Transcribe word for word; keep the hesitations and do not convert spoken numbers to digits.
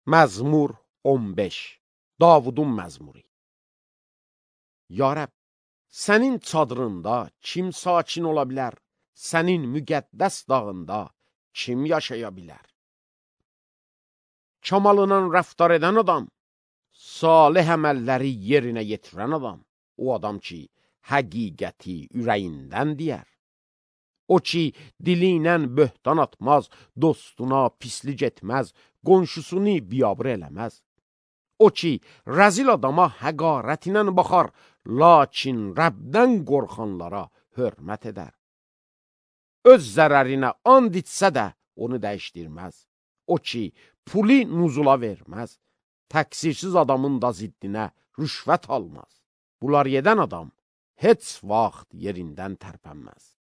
Məzmur on beş. Davudun məzmuru. Ya Rəbb, sənin çadırında kim sakin ola bilər? Sənin müqəddəs dağında kim yaşaya bilər? Kamalından rəftar edən adam, salih əməlləri yerinə yetirən adam, o adam ki, həqiqəti ürəyindən deyər. O ki, dilindən böhtan atmaz, dostuna pislik etməz, qonşusunu biyabır eləməz. O ki, rəzil adama həqarət ilə baxar, lakin Rəbdən qorxanlara hörmət edər. Öz zərərinə and içsə də onu dəyişdirməz. O ki, puli nuzula verməz, təqsirsiz adamın da ziddinə rüşvət almaz. Bunlar edən adam heç vaxt yerindən tərpənməz.